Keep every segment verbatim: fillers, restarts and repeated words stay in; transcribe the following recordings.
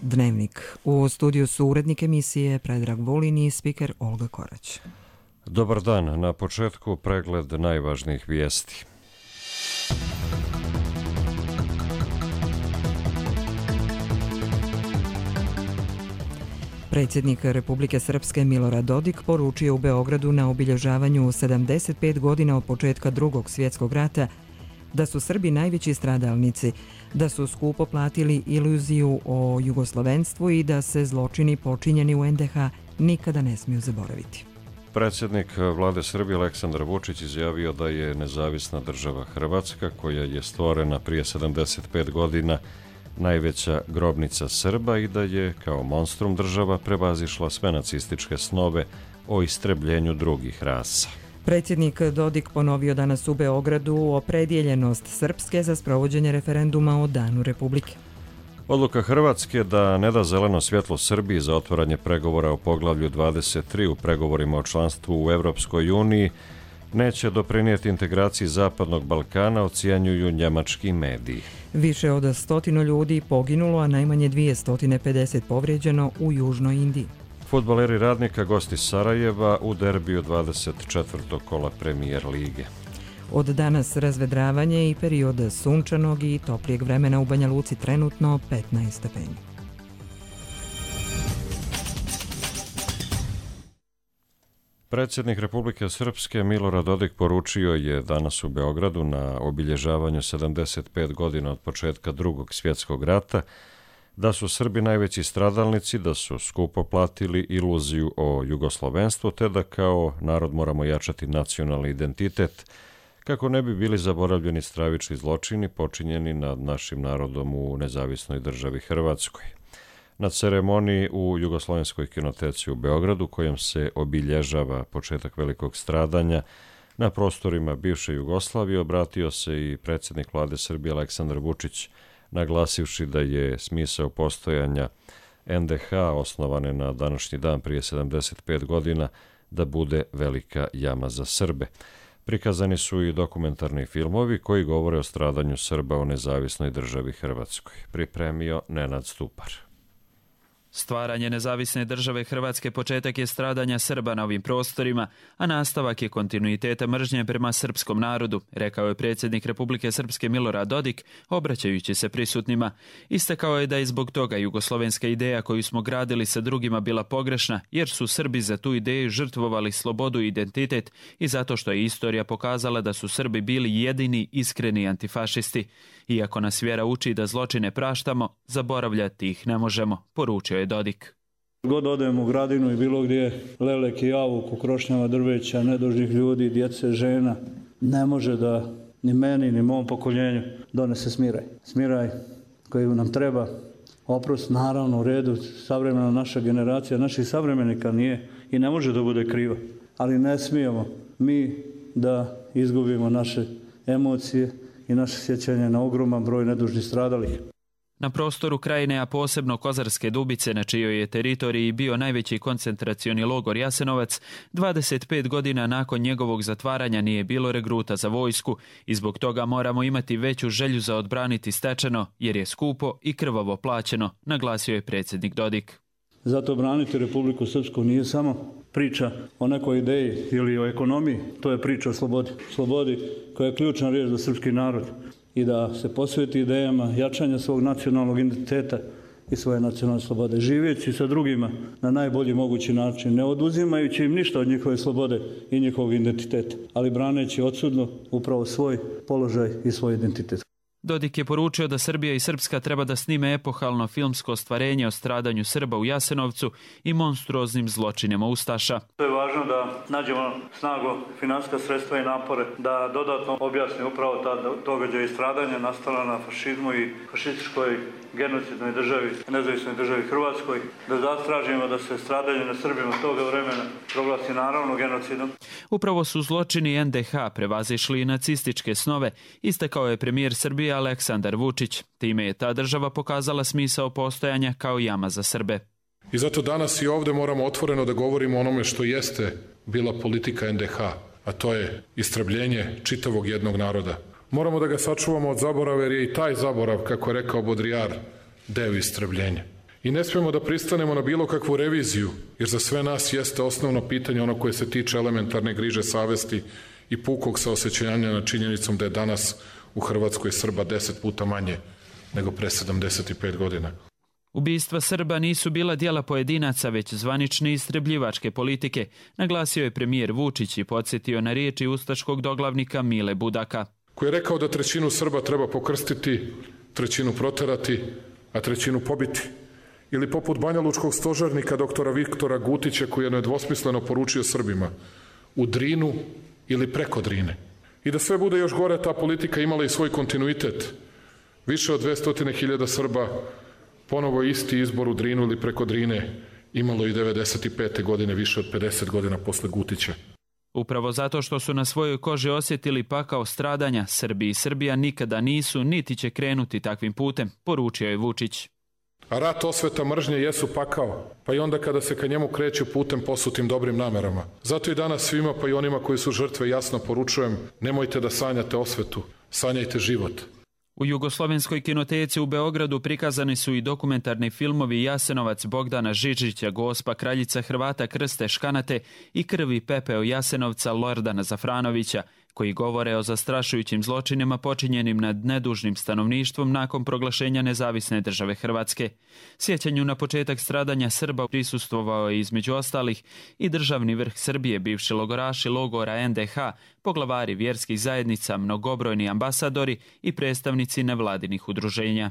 Dnevnik. U studiju su urednik emisije Predrag Vulin i spiker Olga Korać. Dobar dan. Na početku pregled najvažnijih vijesti. Predsjednik Republike Srpske Milorad Dodik poručio u Beogradu na obilježavanju sedamdeset pet godina od početka Drugog svjetskog rata da su Srbi najveći stradalnici, da su skupo platili iluziju o jugoslovenstvu i da se zločini počinjeni u en de ha nikada ne smiju zaboraviti. Predsjednik vlade Srbije Aleksandar Vučić izjavio da je nezavisna država Hrvatska, koja je stvorena prije sedamdeset pet godina, najveća grobnica Srba i da je kao monstrum država prevazišla sve nacističke snove o istrebljenju drugih rasa. Predsjednik Dodik ponovio danas u Beogradu opredjeljenost Srpske za sprovođenje referenduma o Danu Republike. Odluka Hrvatske da ne da zeleno svjetlo Srbiji za otvaranje pregovora o poglavlju dvadeset tri u pregovorima o članstvu u Evropskoj uniji neće doprinijeti integraciji Zapadnog Balkana, ocjenjuju njemački mediji. Više od stotinu ljudi poginulo, a najmanje dvjesto pedeset povrijeđeno u Južnoj Indiji. Fudbaleri Radnika gosti Sarajeva u derbiju dvadeset četvrtog kola Premijer lige. Od danas razvedravanje i period sunčanog i toplijeg vremena u Banja Luci, trenutno petnaest stepeni. Predsjednik Republike Srpske Milorad Dodik poručio je danas u Beogradu na obilježavanju sedamdeset pet godina od početka Drugog svjetskog rata da su Srbi najveći stradalnici, da su skupo platili iluziju o jugoslovenstvu, te da kao narod moramo jačati nacionalni identitet kako ne bi bili zaboravljeni stravični zločini počinjeni nad našim narodom u nezavisnoj državi Hrvatskoj. Na ceremoniji u Jugoslovenskoj kinoteci u Beogradu, kojom se obilježava početak velikog stradanja na prostorima bivše Jugoslavije, obratio se i predsjednik vlade Srbije Aleksandar Vučić, naglasivši da je smisao postojanja en de ha osnovane na današnji dan prije sedamdeset pet godina da bude velika jama za Srbe. Prikazani su i dokumentarni filmovi koji govore o stradanju Srba u nezavisnoj državi Hrvatskoj. Pripremio Nenad Stupar. Stvaranje nezavisne države Hrvatske početak je stradanja Srba na ovim prostorima, a nastavak je kontinuiteta mržnje prema srpskom narodu, rekao je predsjednik Republike Srpske Milorad Dodik, obraćajući se prisutnima. Istakao je da je zbog toga jugoslovenska ideja koju smo gradili sa drugima bila pogrešna, jer su Srbi za tu ideju žrtvovali slobodu i identitet i zato što je istorija pokazala da su Srbi bili jedini iskreni antifašisti. Iako nas vjera uči da zločine praštamo, zaboravljati ih ne možemo, poručio je Dodik. God odemo u Gradinu i bilo gdje, lelek i javuk, ukrošnjava drveća, nedužnih ljudi, djece, žena, ne može da ni meni, ni mom pokoljenju donese smiraj. Smiraj koji nam treba, oprost naravno u redu, savremena naša generacija, naših savremenika nije i ne može da bude kriva. Ali ne smijemo mi da izgubimo naše emocije i naše sjećanje na ogroman broj nedužnih stradalih. Na prostoru Krajine, a posebno Kozarske Dubice, na čijoj je teritoriji bio najveći koncentracioni logor Jasenovac, dvadeset pet godina nakon njegovog zatvaranja nije bilo regruta za vojsku i zbog toga moramo imati veću želju za odbraniti stečeno, jer je skupo i krvavo plaćeno, naglasio je predsjednik Dodik. Zato braniti Republiku Srpsku nije samo priča o nekoj ideji ili o ekonomiji, to je priča o slobodi. Slobodi koja je ključna riječ za srpski narod i da se posveti idejama jačanja svog nacionalnog identiteta i svoje nacionalne slobode, živeći sa drugima na najbolji mogući način, ne oduzimajući im ništa od njihove slobode i njihovog identiteta, ali braneći odsudno upravo svoj položaj i svoj identitet. Dodik je poručio da Srbija i Srpska treba da snime epohalno filmsko ostvarenje o stradanju Srba u Jasenovcu i monstruoznim zločinima ustaša. To je važno da nađemo snagu, finansijska sredstva i napore, da dodatno objasni upravo ta događaj i stradanja nastala na fašizmu i fašističkoj genocidnoj državi, nezavisnoj državi Hrvatskoj, da zastražimo da se stradanje na Srbima toga vremena proglasi naravno genocidom. Upravo su zločini en de ha prevazišli i nacističke snove, istakao je premijer Srbije Aleksandar Vučić. Time je ta država pokazala smisao postojanja kao jama za Srbe. I zato danas i ovdje moramo otvoreno da govorimo o onome što jeste bila politika en de ha, a to je istrebljenje čitavog jednog naroda. Moramo da ga sačuvamo od zaborava, jer je i taj zaborav, kako je rekao Bodrijar, deo istrebljenja. I ne smemo da pristanemo na bilo kakvu reviziju, jer za sve nas jeste osnovno pitanje ono koje se tiče elementarne griže savesti i pukog saosećanja nad činjenicom da je danas u Hrvatskoj Srba deset puta manje nego pre sedamdeset pet godina. Ubistva Srba nisu bila djela pojedinaca, već zvanične istrebljivačke politike, naglasio je premijer Vučić i podsjetio na riječi ustaškog doglavnika Mile Budaka. Koji je rekao da trećinu Srba treba pokrstiti, trećinu proterati, a trećinu pobiti. Ili poput banjalučkog stožarnika doktora Viktora Gutića koji je nedvosmisleno poručio Srbima u Drinu ili preko Drine. I da sve bude još gore, ta politika imala i svoj kontinuitet. Više od dvesta hiljada Srba ponovo isti izbor u Drinu ili preko Drine imalo i devedeset pete godine, više od pedeset godina posle Gutića. Upravo zato što su na svojoj koži osjetili pakao stradanja, Srbi i Srbija nikada nisu niti će krenuti takvim putem, poručio je Vučić. A rat, osveta, mržnje jesu pakao, pa i onda kada se ka njemu kreću putem posutim dobrim namerama. Zato i danas svima, pa i onima koji su žrtve, jasno poručujem, nemojte da sanjate osvetu, sanjajte život. U Jugoslovenskoj kinoteci u Beogradu prikazani su i dokumentarni filmovi Jasenovac Bogdana Žižića, Gospa kraljica Hrvata Krste Škanate i Krv i pepeo Jasenovca Lordana Zafranovića, koji govore o zastrašujućim zločinima počinjenim nad nedužnim stanovništvom nakon proglašenja nezavisne države Hrvatske. Sjećanju na početak stradanja Srba prisustvovao je između ostalih i državni vrh Srbije, bivši logoraši logora en de ha, poglavari vjerskih zajednica, mnogobrojni ambasadori i predstavnici nevladinih udruženja.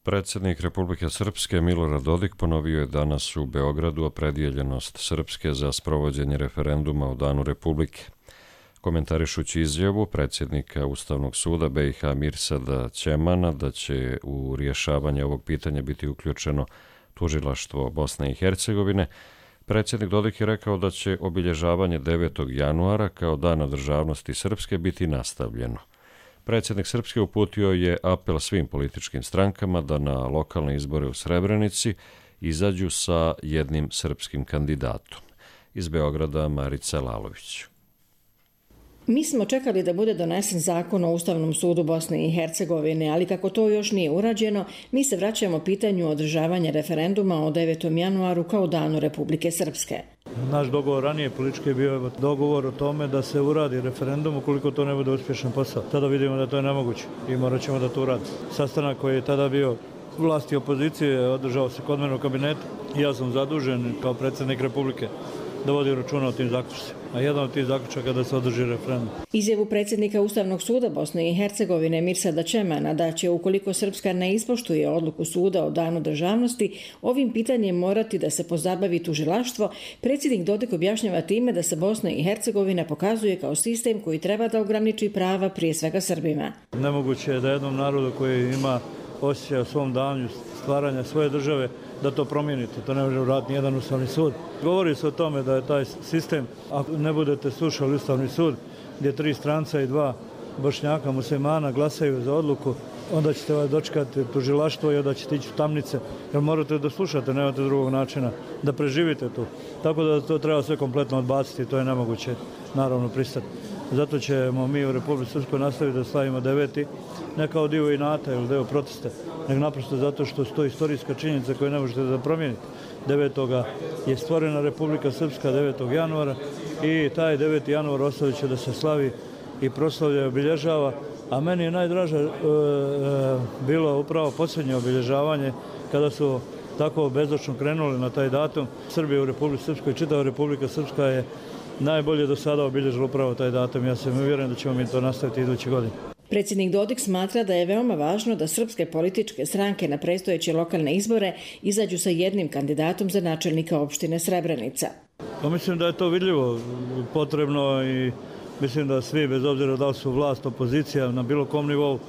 Predsjednik Republike Srpske Milorad Dodik ponovio je danas u Beogradu opredjeljenost Srpske za sprovođenje referenduma o Danu Republike. Komentarišući izjavu predsjednika Ustavnog suda be i ha Mirsada Ćemana da će u rješavanje ovog pitanja biti uključeno tužilaštvo Bosne i Hercegovine, predsjednik Dodik je rekao da će obilježavanje devetog januara kao Dana državnosti Srpske biti nastavljeno. Predsjednik Srpske uputio je apel svim političkim strankama da na lokalne izbore u Srebrenici izađu sa jednim srpskim kandidatom. Iz Beograda Marica Lalović. Mi smo čekali da bude donesen zakon o Ustavnom sudu Bosne i Hercegovine, ali kako to još nije urađeno, mi se vraćamo pitanju održavanja referenduma o devetom januaru kao Danu Republike Srpske. Naš dogovor ranije politički je bio dogovor o tome da se uradi referendum ukoliko to ne bude uspješan posao. Tada vidimo da to je nemoguće i morat ćemo da to uradi. Sastanak koji je tada bio vlasti opozicije održao se kod mene u kabinetu. Ja sam zadužen kao predsjednik Republike da vodi računa o tim zaključcima. A jedan od tih zaključaka da se održi referendum. Izjavu predsjednika Ustavnog suda Bosne i Hercegovine Mirsada Ćemana da će ukoliko Srpska ne ispoštuje odluku suda o Danu državnosti, ovim pitanjem morati da se pozabavi tužilaštvo, predsjednik Dodik objašnjava time da se Bosna i Hercegovina pokazuje kao sistem koji treba da ograniči prava prije svega Srbima. Nemoguće je da jednom narodu koji ima osjećaj o svom danju stvaranja svoje države da to promijenite. To ne može uraditi ni jedan Ustavni sud. Govori se o tome da je taj sistem, ako ne budete slušali Ustavni sud, gdje tri stranca i dva Bošnjaka muslimana glasaju za odluku, onda ćete vas dočekati tužilaštvo i onda ćete ići u tamnice, jer morate da slušate, nemate drugog načina da preživite tu. Tako da to treba sve kompletno odbaciti, to je nemoguće naravno pristati. Zato ćemo mi u Republici Srpskoj nastaviti da slavimo deveti, ne kao dio inata ili dio protesta, nego naprosto zato što su to istorijska činjenica koju ne možete da promijenite. devetoga je stvorena Republika Srpska devetog januara i taj deveti januar ostavit će da se slavi i proslavlja i obilježava, a meni je najdraže e, e, bilo upravo posljednje obilježavanje kada su tako bezočno krenuli na taj datum. Srbija u Republici Srpskoj, čitava Republika Srpska je najbolje do sada obilježila upravo taj datum. Ja sam uvjeren da ćemo mi to nastaviti iduće godine. Predsjednik Dodik smatra da je veoma važno da srpske političke stranke na predstojeće lokalne izbore izađu sa jednim kandidatom za načelnika opštine Srebrenica. Pa mislim da je to vidljivo, potrebno i mislim da svi, bez obzira da li su vlast, opozicija, na bilo kom nivou,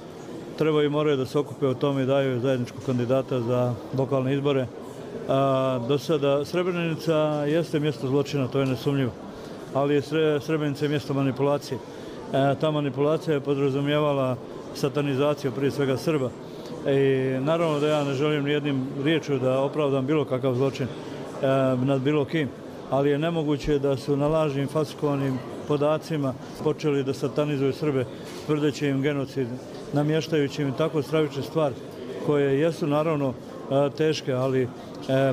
treba i moraju da se okupe o tome i daju zajedničkog kandidata za lokalne izbore. A, do sada Srebrenica jeste mjesto zločina, to je nesumnjivo, ali je Srebrenica mjesto manipulacije. E, ta manipulacija je podrazumijevala satanizaciju prije svega Srba. I naravno da ja ne želim nijednim riječju da opravdam bilo kakav zločin e, nad bilo kim, ali je nemoguće da su na lažnim falsifikovanim podacima počeli da satanizuju Srbe, tvrdeći im genocid, namještajući im tako stravične stvari koje jesu naravno teške, ali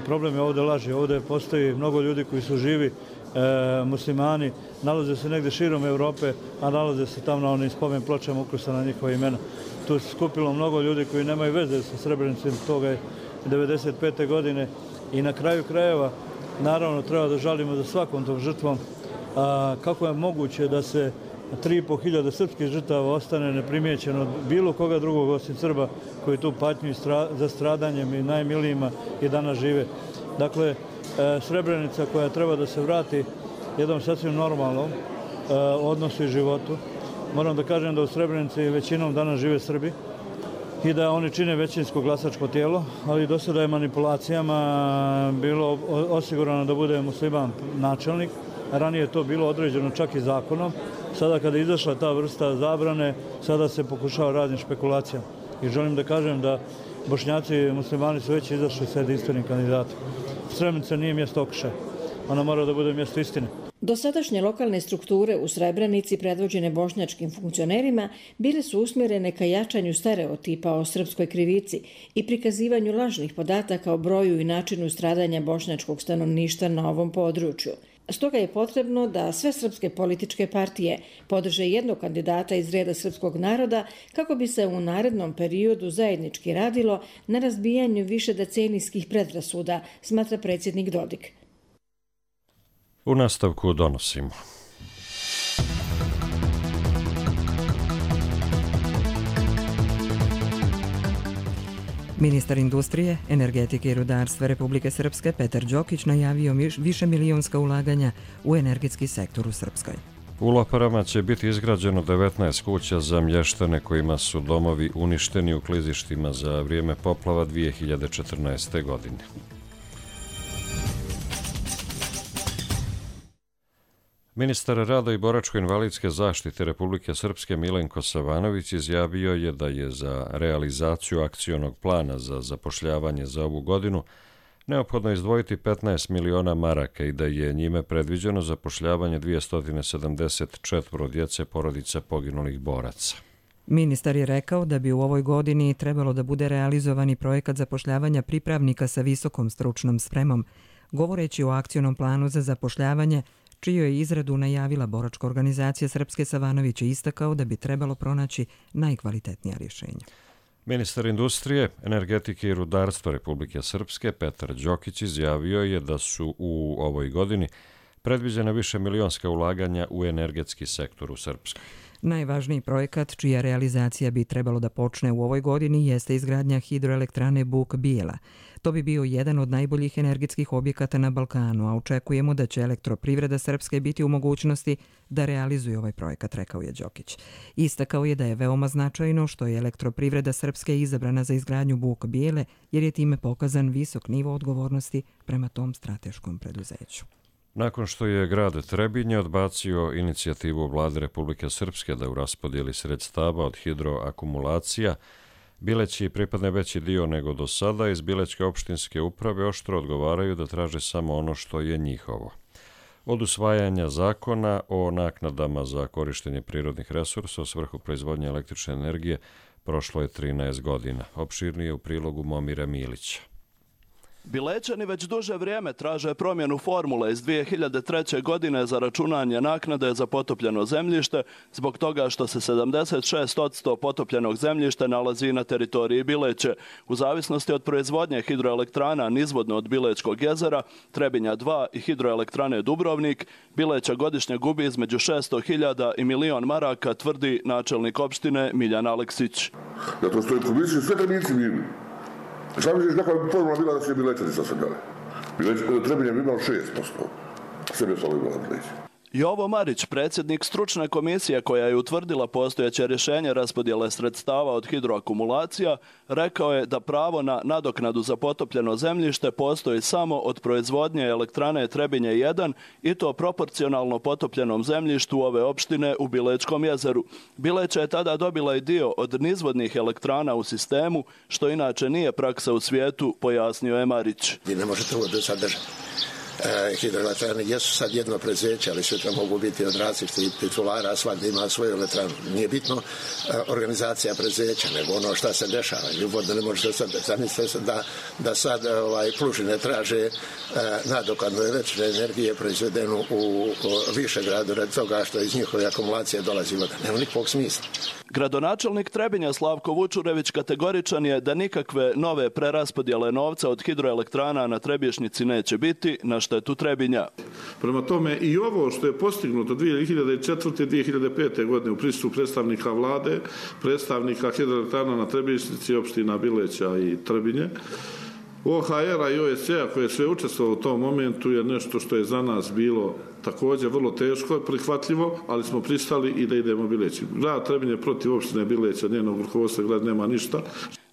problem je ovdje laži. Ovdje postoji mnogo ljudi koji su živi muslimani, nalaze se negdje širom Europe, a nalaze se tamo na onim spomen pločama ukrštena njihova imena. Tu se skupilo mnogo ljudi koji nemaju veze sa Srebrenicom toga devedeset pete godine i na kraju krajeva naravno treba da žalimo za svakom tom žrtvom. A kako je moguće da se tri i po hiljade srpskih žrtava ostane neprimijećeno od bilo koga drugog osim Srba koji tu patnju za stradanjem i najmilijima i danas žive. Dakle, Srebrenica koja treba da se vrati jednom sasvim normalnom odnosu i životu. Moram da kažem da u Srebrenici većinom danas žive Srbi i da oni čine većinsko glasačko tijelo, ali do sada je manipulacijama bilo osigurano da bude musliman načelnik. Ranije je to bilo određeno čak i zakonom. Sada kada je izašla ta vrsta zabrane, sada se pokušava raznim špekulacijama. I želim da kažem da Bošnjaci i muslimani su već izašli sa jedinstvenim kandidatom. Srebrenica nije mjesto okršaja. Ona mora da bude mjesto istine. Dosadašnje lokalne strukture u Srebrenici predvođene bošnjačkim funkcionerima bile su usmjerene ka jačanju stereotipa o srpskoj krivici i prikazivanju lažnih podataka o broju i načinu stradanja bošnjačkog stanovništva na ovom području. Stoga je potrebno da sve srpske političke partije podrže jednog kandidata iz reda srpskog naroda kako bi se u narednom periodu zajednički radilo na razbijanju višedecenijskih predrasuda, smatra predsjednik Dodik. U nastavku donosimo. Ministar industrije, energetike i rudarstva Republike Srpske Petar Đokić najavio više milionska ulaganja u energetski sektor u Srpskoj. U Loparama će biti izgrađeno devetnaest kuća za mještane kojima su domovi uništeni u klizištima za vrijeme poplava dvije hiljade četrnaeste. godine. Ministar rada i boračko-invalidske zaštite Republike Srpske Milenko Savanović izjavio je da je za realizaciju akcionog plana za zapošljavanje za ovu godinu neophodno izdvojiti petnaest miliona maraka i da je njime predviđeno zapošljavanje dvjesto sedamdeset četiri djece porodica poginulih boraca. Ministar je rekao da bi u ovoj godini trebalo da bude realizovani projekat zapošljavanja pripravnika sa visokom stručnom spremom, govoreći o akcionom planu za zapošljavanje čiju je izradu najavila boračka organizacija Srpske. Savanović je istakao da bi trebalo pronaći najkvalitetnija rješenja. Ministar industrije, energetike i rudarstva Republike Srpske Petar Đokić izjavio je da su u ovoj godini predviđena više milionska ulaganja u energetski sektor u Srpskoj. Najvažniji projekat čija realizacija bi trebalo da počne u ovoj godini jeste izgradnja hidroelektrane Buk Bijela. To bi bio jedan od najboljih energetskih objekata na Balkanu, a očekujemo da će elektroprivreda Srpske biti u mogućnosti da realizuje ovaj projekat, rekao je Đokić. Istakao je da je veoma značajno što je elektroprivreda Srpske izabrana za izgradnju Buk Bijele, jer je time pokazan visok nivo odgovornosti prema tom strateškom preduzeću. Nakon što je grad Trebinje odbacio inicijativu Vlade Republike Srpske da u raspodjeli sredstava od hidroakumulacija Bileći pripadne veći dio nego do sada, iz Bilećke opštinske uprave oštro odgovaraju da traže samo ono što je njihovo. Od usvajanja zakona o naknadama za korištenje prirodnih resursa u svrhu proizvodnje električne energije prošlo je trinaest godina. Opširnije u prilogu Momira Milića. Bilećani već duže vrijeme traže promjenu formule iz dvije hiljade treće. godine za računanje naknade za potopljeno zemljište zbog toga što se sedamdeset šest posto potopljenog zemljišta nalazi na teritoriji Bileće. U zavisnosti od proizvodnje hidroelektrana nizvodno od Bilećkog jezera, Trebinja dva i hidroelektrane Dubrovnik, Bileća godišnje gubi između šesto hiljada i milion maraka, tvrdi načelnik opštine Miljan Aleksić. Zato što je komisija sve Trebinci bili. Šta misliš kakva bi formula bila da će Bilećani sa sve dale? Trebinje bi imao šest posto. Sve bi ostalo imala Bileće. Jovo Marić, predsjednik stručne komisije koja je utvrdila postojeće rješenje raspodjele sredstava od hidroakumulacija, rekao je da pravo na nadoknadu za potopljeno zemljište postoji samo od proizvodnje elektrane Trebinje jedan i to proporcionalno potopljenom zemljištu ove opštine u Bilećkom jezeru. Bileća je tada dobila i dio od nizvodnih elektrana u sistemu, što inače nije praksa u svijetu, pojasnio je Marić. Vi ne možete ovo do sad držati. hidroelektrane jesu sad jedno preduzeće, ali sutra mogu biti od različitih titulara, svakda ima svoju elektranu. Nije bitno organizacija preduzeća, nego ono šta se dešava. Ljubodno ne možete sad zamisliti da, da sad ovaj, Plužine traže nadoknadu električne energije proizvedenu u, u Višegradu radi toga što iz njihove akumulacije dolazi voda. Nema nikakvog smisla. Gradonačelnik Trebinja Slavko Vučurević kategoričan je da nikakve nove preraspodjele novca od hidroelektrana na Trebješnjici neće biti na štetu Trebinja. Prema tome i ovo što je postignuto dvije hiljade četvrte. i dvije hiljade pete. godine u prisustvu predstavnika vlade, predstavnika hidroelektrana na Trebješnjici, opština Bileća i Trebinje, O H R-a i O S C-a koje je sve učestvovalo u tom momentu je nešto što je za nas bilo također vrlo teško, prihvatljivo, ali smo pristali i da idemo Bileći. Grad Trebinje protiv opštine Bileća, njenog rukovodstva grad nema ništa.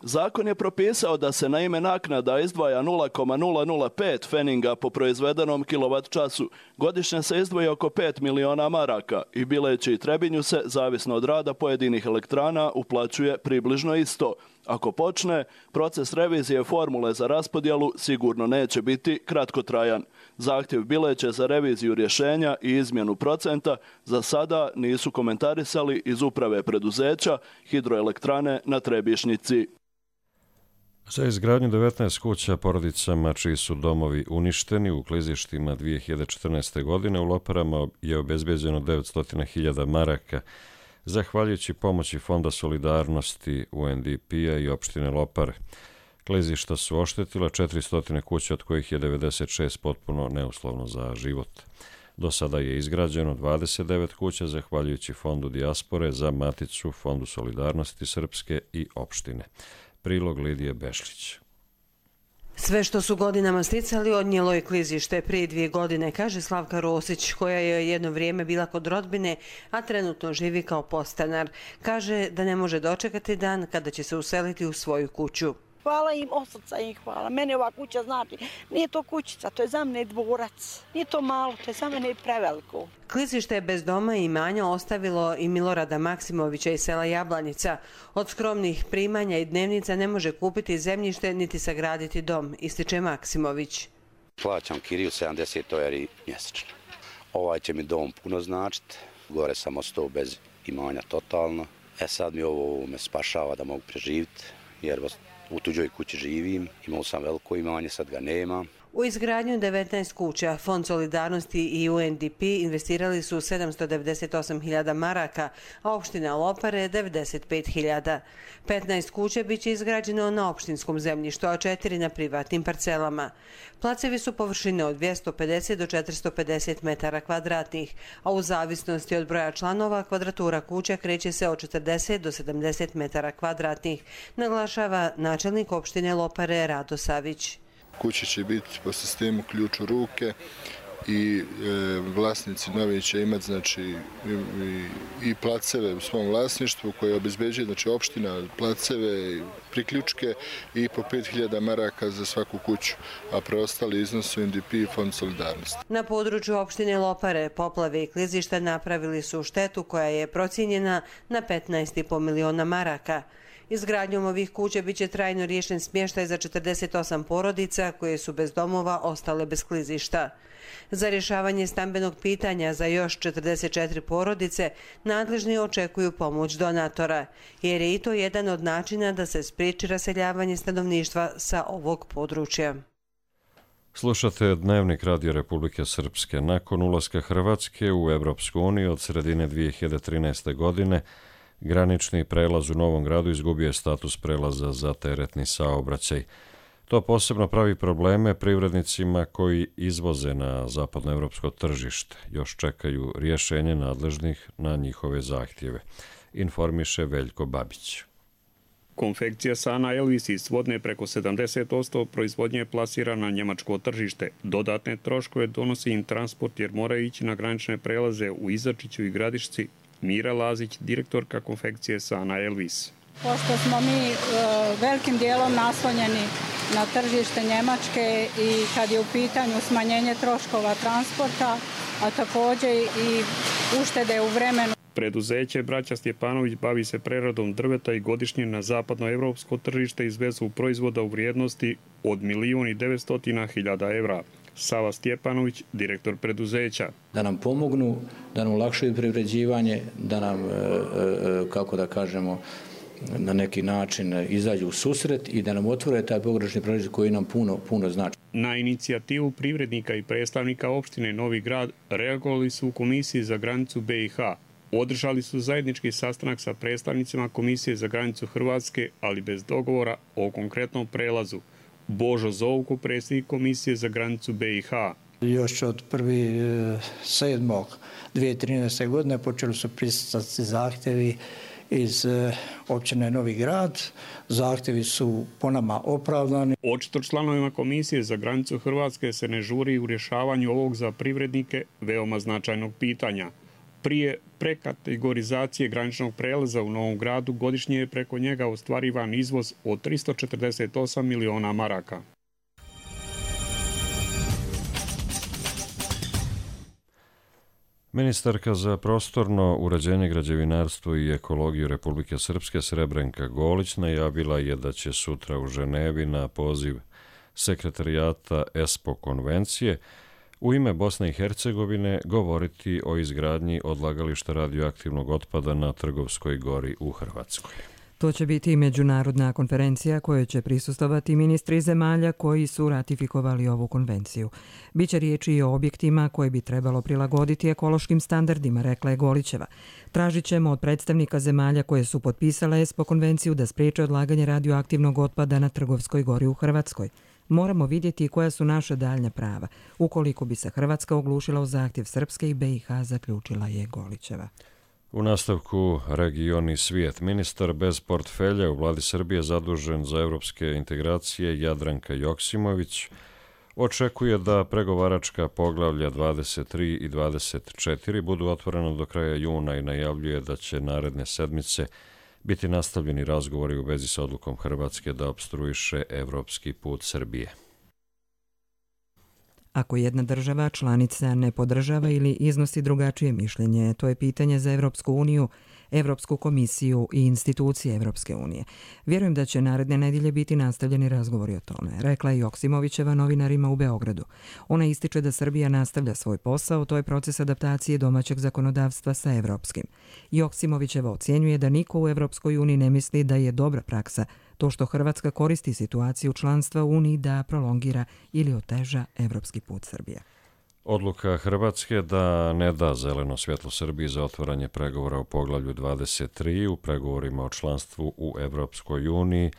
Zakon je propisao da se na ime naknada izdvaja nula zarez nula nula pet feninga po proizvedenom kilovat času. Godišnje se izdvoji oko pet miliona maraka i Bileći i Trebinju se, zavisno od rada pojedinih elektrana, uplaćuje približno isto. Ako počne, proces revizije formule za raspodjelu sigurno neće biti kratkotrajan. Zahtjev Bileće za reviziju rješenja i izmjenu procenta za sada nisu komentarisali iz uprave preduzeća hidroelektrane na Trebješnjici. Za izgradnju devetnaest kuća porodicama čiji su domovi uništeni u klizištima dvije hiljade četrnaeste. godine u Loparama je obezbeđeno devetsto hiljada maraka, zahvaljujući pomoći Fonda solidarnosti U N D P-a i opštine Lopare. Klizišta su oštetila četiristo kuća, od kojih je devedeset šest potpuno neuslovno za život. Do sada je izgrađeno dvadeset devet kuća, zahvaljujući Fondu dijaspore za Maticu, Fondu solidarnosti Srpske i opštine. Prilog Lidije Bešlić. Sve što su godinama sticali odnijelo je klizište prije dvije godine, kaže Slavka Rosić, koja je jedno vrijeme bila kod rodbine, a trenutno živi kao podstanar. Kaže da ne može dočekati dan kada će se useliti u svoju kuću. Hvala im, od srca im hvala. Mene ova kuća znači, nije to kućica, to je za mene dvorac. Nije to malo, to je za mene preveliko. Klizište je bez doma i imanja ostavilo i Milorada Maksimovića iz sela Jablanica. Od skromnih primanja i dnevnica ne može kupiti zemljište niti sagraditi dom, ističe Maksimović. Plaćam kiriju sedamdeset eura mjesečno. Ovaj će mi dom puno značiti, gore sam ostao bez imanja totalno. E sad mi ovo me spašava da mogu preživiti, jer u tuđoj kući živim, imao sam veliko imanje, sad ga nema. U izgradnju devetnaest kuća Fond solidarnosti i U N D P investirali su sedamsto devedeset osam hiljada maraka, a opština Lopare devedeset pet hiljada. petnaest kuća biće izgrađeno na opštinskom zemljištu, a četiri na privatnim parcelama. Placevi su površine od dvjesto pedeset do četiristo pedeset metara kvadratnih, a u zavisnosti od broja članova kvadratura kuća kreće se od četrdeset do sedamdeset metara kvadratnih, naglašava načelnik opštine Lopare Rado Savić. Kuće će biti po sistemu ključ u ruke i e, vlasnici novi će imati znači, i, i placeve u svom vlasništvu koje obezbeđuje znači, opština, placeve, priključke i po pet hiljada maraka za svaku kuću, a preostali iznos su U N D P i Fond solidarnosti. Na području opštine Lopare poplave i klizišta napravili su štetu koja je procijenjena na petnaest i po miliona maraka. Izgradnjom ovih kuća biće trajno riješen smještaj za četrdeset osam porodica koje su bez domova ostale bez klizišta. Za rješavanje stambenog pitanja za još četrdeset četiri porodice nadležni očekuju pomoć donatora, jer je i to jedan od načina da se spriječi raseljavanje stanovništva sa ovog područja. Slušate Dnevnik Radio Republike Srpske. Nakon ulaska Hrvatske u Evropsku uniju od sredine dvije hiljade trinaeste. godine, granični prelaz u Novom Gradu izgubio je status prelaza za teretni saobraćaj. To posebno pravi probleme privrednicima koji izvoze na zapadnoevropsko tržište. Još čekaju rješenje nadležnih na njihove zahtjeve, informiše Veljko Babić. Konfekcija Sana Elvis iz Svodne preko sedamdeset posto proizvodnje plasira na njemačko tržište. Dodatne troškove donosi im transport jer moraju ići na granične prelaze u Izačiću i Gradišci. Mira Lazić, direktorka konfekcije Sana Elvis. Pošto smo mi e, velikim dijelom naslonjeni na tržište Njemačke i kad je u pitanju smanjenje troškova transporta, a također i uštede u vremenu. Preduzeće Braća Stjepanović bavi se preradom drveta i godišnje na zapadnoevropsko tržište izvezu proizvoda u vrijednosti od milijun i devetsto hiljada evra. Sava Stjepanović, direktor preduzeća. Da nam pomognu, da nam olakšaju privređivanje, da nam, kako da kažemo, na neki način izađu u susret i da nam otvore taj pogranični prelaz koji nam puno, puno znači. Na inicijativu privrednika i predstavnika opštine Novi Grad reagovali su u Komisiji za granicu B i H. Održali su zajednički sastanak sa predstavnicima Komisije za granicu Hrvatske, ali bez dogovora o konkretnom prelazu. Božo Zovko, predsjednik Komisije za granicu B i H. Još od prvog sedmog dvije tisuće trinaeste. godine počeli su pristati zahtjevi iz općine Novi Grad. Zahtjevi su po nama opravdani. Očito članovima Komisije za granicu Hrvatske se ne žuri u rješavanju ovog za privrednike veoma značajnog pitanja. Prije prekategorizacije graničnog prelaza u Novom Gradu godišnje je preko njega ostvarivan izvoz od tristo četrdeset osam miliona maraka. Ministarka za prostorno uređenje, građevinarstvo i ekologiju Republike Srpske Srebrenka Golić najavila je da će sutra u Ženevi na poziv sekretarijata ESPO konvencije u ime Bosne i Hercegovine govoriti o izgradnji odlagališta radioaktivnog otpada na Trgovskoj gori u Hrvatskoj. To će biti međunarodna konferencija kojoj će prisustvovati ministri zemalja koji su ratifikovali ovu konvenciju. Biće riječi i o objektima koje bi trebalo prilagoditi ekološkim standardima, rekla je Golićeva. Tražit ćemo od predstavnika zemalja koje su potpisale ESPO konvenciju da spriječe odlaganje radioaktivnog otpada na Trgovskoj gori u Hrvatskoj. Moramo vidjeti koja su naša daljnja prava, ukoliko bi se Hrvatska oglušila u zahtjev Srpske i B i H, zaključila je Golićeva. U nastavku region i svijet. Ministar bez portfelja u vladi Srbije zadužen za evropske integracije Jadranka Joksimović očekuje da pregovaračka poglavlja dvadeset tri i dvadeset četiri budu otvorena do kraja juna i najavljuje da će naredne sedmice biti nastavljeni razgovori u vezi sa odlukom Hrvatske da opstruiše evropski put Srbije. Ako jedna država članica ne podržava ili iznosi drugačije mišljenje, to je pitanje za Evropsku uniju, Evropsku komisiju i institucije Evropske unije. Vjerujem da će naredne nedjelje biti nastavljeni razgovori o tome, rekla je Joksimovićeva novinarima u Beogradu. Ona ističe da Srbija nastavlja svoj posao, to je proces adaptacije domaćeg zakonodavstva sa evropskim. Joksimovićeva ocjenjuje da niko u Evropskoj uniji ne misli da je dobra praksa to što Hrvatska koristi situaciju članstva u Uniji da prolongira ili oteža evropski put Srbije. Odluka Hrvatske da ne da zeleno svjetlo Srbiji za otvaranje pregovora u poglavlju dvadeset tri u pregovorima o članstvu u Evropskoj uniji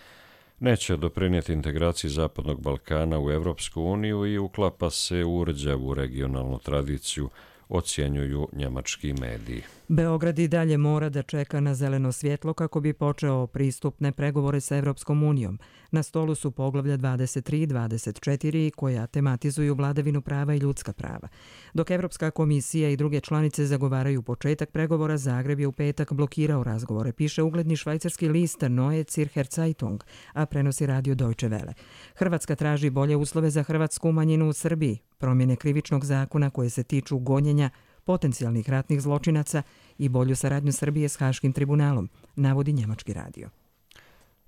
neće doprinijeti integraciji Zapadnog Balkana u Evropsku uniju i uklapa se u rđavu regionalnu tradiciju, ocjenjuju njemački mediji. Beograd i dalje mora da čeka na zeleno svjetlo kako bi počeo pristupne pregovore sa Evropskom unijom. Na stolu su poglavlja dvadeset tri i dvadeset četiri koja tematizuju vladavinu prava i ljudska prava. Dok Evropska komisija i druge članice zagovaraju početak pregovora, Zagreb je u petak blokirao razgovore, piše ugledni švajcarski list Neue Zürcher Zeitung, a prenosi radio Deutsche Welle. Hrvatska traži bolje uslove za hrvatsku manjinu u Srbiji, promjene krivičnog zakona koje se tiču gonjenja potencijalnih ratnih zločinaca i bolju saradnju Srbije s Haškim tribunalom, navodi njemački radio.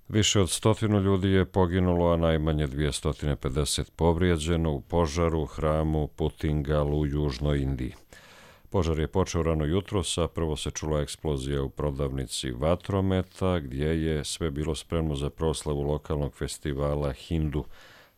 Više od stotinu ljudi je poginulo, a najmanje dvjesto pedeset povrijeđeno u požaru u hramu Putingal u Južnoj Indiji. Požar je počeo rano jutros, a prvo se čula eksplozija u prodavnici vatrometa, gdje je sve bilo spremno za proslavu lokalnog festivala Hindu,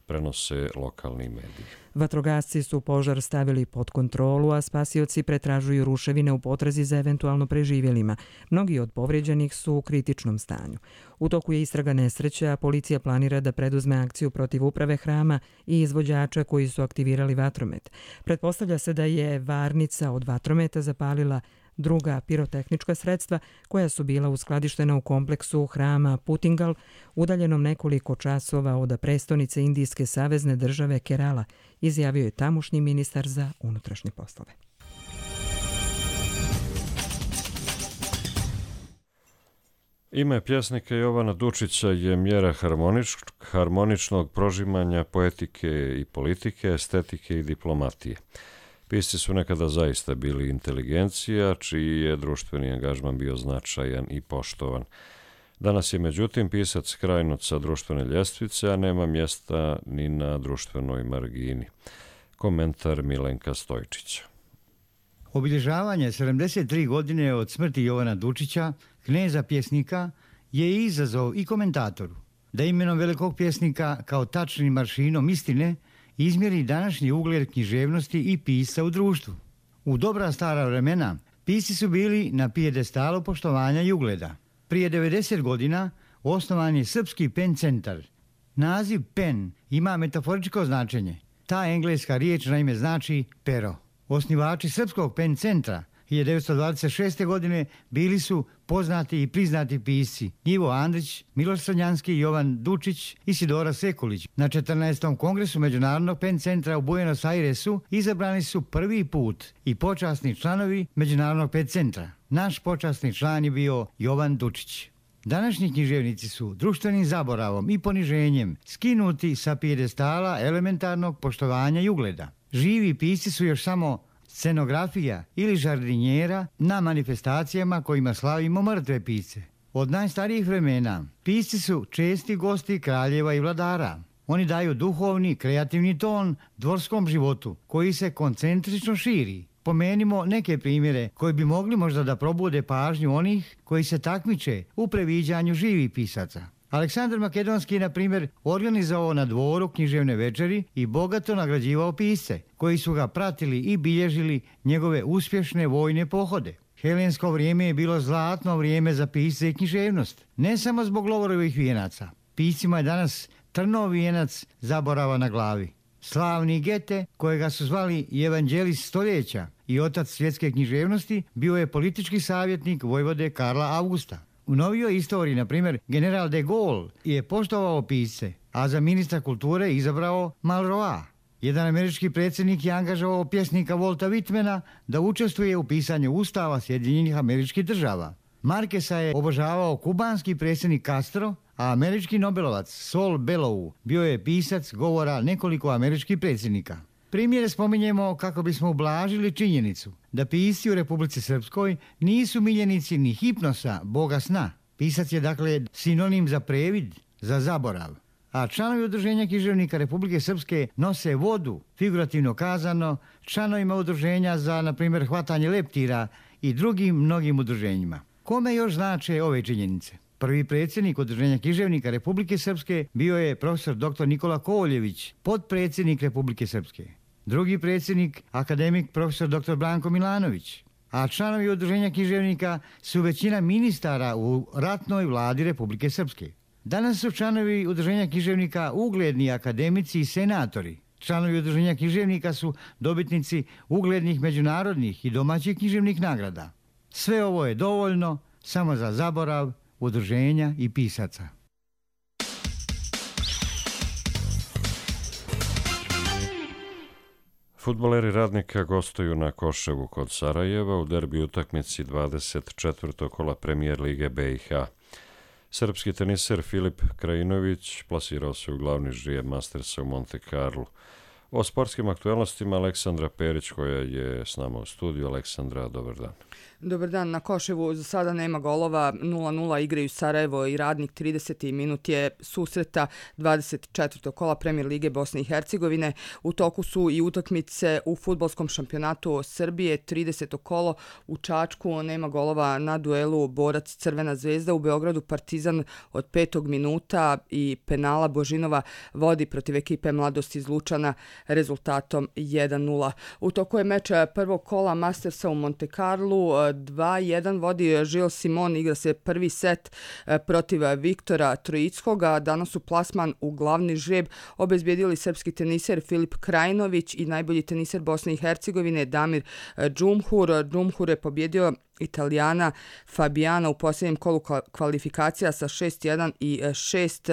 prenose lokalni mediji. Vatrogasci su požar stavili pod kontrolu, a spasioci pretražuju ruševine u potrazi za eventualno preživjelima. Mnogi od povrijeđenih su u kritičnom stanju. U toku je istraga nesreće, a policija planira da preduzme akciju protiv uprave hrama i izvođača koji su aktivirali vatromet. Pretpostavlja se da je varnica od vatrometa zapalila druga pirotehnička sredstva koja su bila uskladištena u kompleksu hrama Putingal, udaljenom nekoliko časova od prestonice Indijske savezne države Kerala, izjavio je tamošnji ministar za unutrašnje poslove. Ime pjesnika Jovana Dučića je mjera harmonič, harmoničnog prožimanja poetike i politike, estetike i diplomatije. Pisci su nekada zaista bili inteligencija, čiji je društveni angažman bio značajan i poštovan. Danas je međutim pisac skrajnut sa društvene ljestvice, a nema mjesta ni na društvenoj margini. Komentar Milenka Stojčića. Obilježavanje sedamdeset tri godine od smrti Jovana Dučića, kneza pjesnika, je izazov i komentatoru da imenom velikog pjesnika kao tačnim maršinom istine izmjeri današnji ugled književnosti i pisca u društvu. U dobra stara vremena pisci su bili na pijedestalu poštovanja i ugleda. Prije devedeset godina osnovan je Srpski pen centar. Naziv pen ima metaforičko značenje. Ta engleska riječ naime znači pero. Osnivači Srpskog pen centra hiljadu devetsto dvadeset šeste. godine bili su poznati i priznati pisci Ivo Andrić, Miloš Crnjanski, Jovan Dučić i Sidora Sekulić. Na četrnaestom kongresu Međunarodnog pen centra u Buenos Airesu izabrani su prvi put i počasni članovi Međunarodnog pen centra. Naš počasni član je bio Jovan Dučić. Današnji književnici su društvenim zaboravom i poniženjem skinuti sa pijedestala elementarnog poštovanja i ugleda. Živi pisci su još samo scenografija ili žardinjera na manifestacijama kojima slavimo mrtve pisce. Od najstarijih vremena pisci su česti gosti kraljeva i vladara. Oni daju duhovni, kreativni ton dvorskom životu koji se koncentrično širi. Pomenimo neke primjere koji bi mogli možda da probude pažnju onih koji se takmiče u previđanju živih pisaca. Aleksandar Makedonski je, na primjer, organizovao na dvoru književne večeri i bogato nagrađivao pisce, koji su ga pratili i bilježili njegove uspješne vojne pohode. Helensko vrijeme je bilo zlatno vrijeme za pisce i književnost, ne samo zbog Lovorovih vijenaca. Piscima je danas trnov vijenac zaborava na glavi. Slavni Gete, kojega su zvali i evanđelist stoljeća i otac svjetske književnosti, bio je politički savjetnik vojvode Karla Augusta. U novijoj istoriji, na primjer, general de Gaulle je poštovao pisce, a za ministra kulture izabrao Malroa. Jedan američki predsjednik je angažovao pjesnika Volta Whitmana da učestvuje u pisanju ustava Sjedinjenih Američkih Država. Markesa je obožavao kubanski predsjednik Castro, a američki nobelovac Saul Bellow bio je pisac govora nekoliko američkih predsjednika. Primjere spominjemo kako bismo ublažili činjenicu da pisci u Republici Srpskoj nisu miljenici ni hipnosa, boga sna. Pisac je dakle sinonim za previd, za zaborav. A članovi udruženja književnika Republike Srpske nose vodu, figurativno kazano, članovima udruženja za, na primjer, hvatanje leptira i drugim mnogim udruženjima. Kome još znače ove činjenice? Prvi predsjednik udruženja književnika Republike Srpske bio je profesor doktor Nikola Kovoljević, potpredsjednik Republike Srpske. Drugi predsjednik, akademik profesor doktor Branko Milanović. A članovi udruženja književnika su većina ministara u ratnoj vladi Republike Srpske. Danas su članovi udruženja književnika ugledni akademici i senatori. Članovi udruženja književnika su dobitnici uglednih međunarodnih i domaćih književnih nagrada. Sve ovo je dovoljno samo za zaborav udruženja i pisaca. Fudbaleri Radnika gostuju na Koševu kod Sarajeva u derbi utakmici dvadeset četvrtog kola Premijer Lige B i H. Srpski teniser Filip Krajinović plasirao se u glavni žrijeb Mastersa u Monte Carlo. O sportskim aktualnostima Aleksandra Perić koja je s nama u studiju. Aleksandra, dobar dan. Dobar dan. Na Koševu za sada nema golova, nula nula igraju Sarajevo i Radnik. trideseti minut je susreta dvadeset četvrtog kola Premijer Lige Bosne i Hercegovine. U toku su i utakmice u fudbalskom šampionatu Srbije. trideseto kolo u Čačku, nema golova na duelu Borac Crvena zvezda. U Beogradu Partizan od petog minuta i penala Božinova vodi protiv ekipe Mladost iz Lučana rezultatom jedan nula. U toku je meč prvog kola Mastersa u Monte Carlo. dva jedan vodi Žil Simon, igra se prvi set protiv Viktora Trojickoga. Danas su plasman u glavni žreb obezbijedili srpski teniser Filip Krajinović i najbolji teniser Bosne i Hercegovine Damir Džumhur. Džumhur je pobjedio Italijana Fabiana u posljednjem kolu kvalifikacija sa šest jedan i šest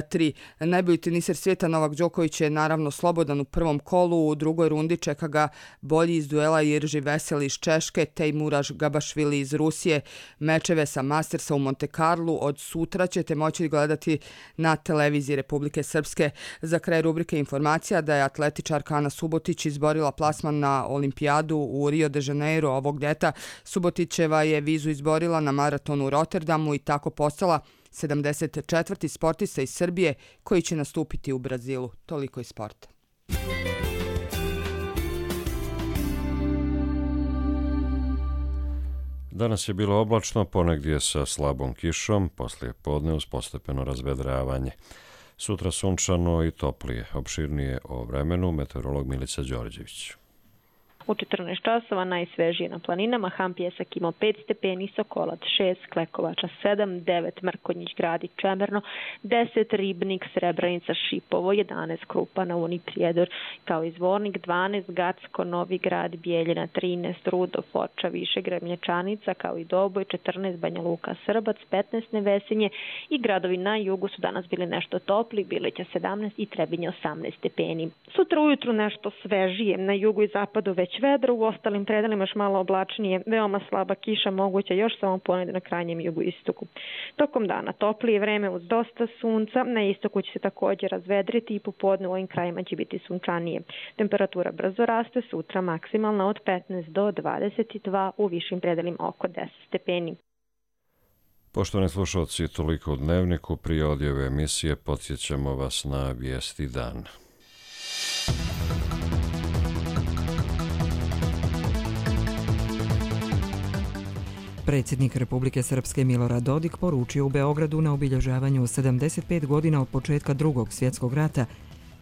tri. Najbolji teniser svijeta Novak Đoković je naravno slobodan u prvom kolu. U drugoj rundi čeka ga bolji iz duela Irži Vesel iz Češke, Tejmuraž Gabašvili iz Rusije. Mečeve sa Mastersa u Monte Carlo od sutra ćete moći gledati na televiziji Republike Srpske. Za kraj rubrike informacija da je atletičarka Ana Subotić izborila plasman na olimpijadu u Rio de Janeiro ovog ljeta. Subotić Čeva je vizu izborila na maratonu u Rotterdamu i tako postala sedamdeset četvrti sportista iz Srbije koji će nastupiti u Brazilu. Toliko iz sporta. Danas je bilo oblačno, ponegdje sa slabom kišom, poslije podne uz postepeno razvedravanje. Sutra sunčano i toplije. Opširnije o vremenu meteorolog Milica Đorđević. U četrnaest časova najsvežije na planinama, Ham Pjesak imao pet stepeni, Sokolac šest, Klekovača sedam, devet, Mrkonjić Gradić Čemerno, deset, Ribnik, Srebrenica, Šipovo, jedanaest, Krupa na Uni Prijedor, kao i Zvornik dvanaest, Gacko, Novi Grad, Bijeljina trinaest, Rudo, Foča, Višegrad, Mlječanica, kao i Doboj četrnaest, Banja Luka, Srbac petnaest, Nevesinje i gradovi na jugu su danas bili nešto topli, Bileća sedamnaest i Trebinje osamnaest stepeni. Sutra ujutru nešto svežije, na jugu i zapadu već vedro, u ostalim predelima još malo oblačnije, veoma slaba kiša moguća još samo ponegde na krajnjem jugu istoku. Tokom dana toplije vreme uz dosta sunca, na istoku će se također razvedriti i popodne u ovim krajima će biti sunčanije. Temperatura brzo raste, sutra maksimalna od petnaest do dvadeset dva, u višim predelima oko deset stepeni. Poštovani slušalci, toliko u Dnevniku. Prije odjave emisije podsjećamo vas na vijesti dana. Predsjednik Republike Srpske Milorad Dodik poručio u Beogradu na obilježavanju sedamdeset pet godina od početka Drugog svjetskog rata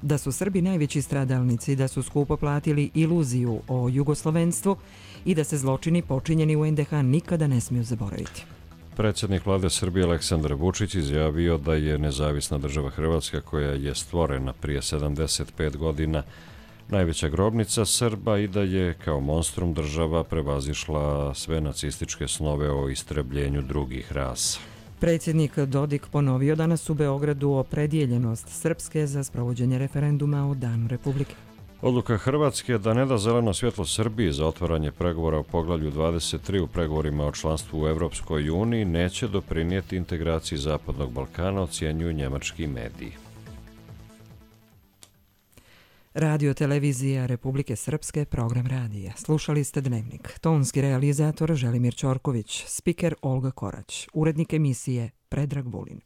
da su Srbi najveći stradalnici, da su skupo platili iluziju o jugoslovenstvu i da se zločini počinjeni u en de ha nikada ne smiju zaboraviti. Predsjednik vlade Srbije Aleksandar Vučić izjavio da je nezavisna država Hrvatska, koja je stvorena prije sedamdeset pet godina, najveća grobnica Srba i da je kao monstrum država prevazišla sve nacističke snove o istrebljenju drugih rasa. Predsjednik Dodik ponovio danas u Beogradu opredjeljenost Srpske za sprovođenje referenduma o Danu Republike. Odluka Hrvatske da ne da zeleno svjetlo Srbiji za otvaranje pregovora o poglavlju dvadeset tri u pregovorima o članstvu u Evropskoj uniji neće doprinijeti integraciji Zapadnog Balkana, ocjenjuju njemački mediji. Radio televizija Republike Srpske, program radija. Slušali ste Dnevnik. Tonski realizator Želimir Ćorković, spiker Olga Korać, urednik emisije Predrag Vulin.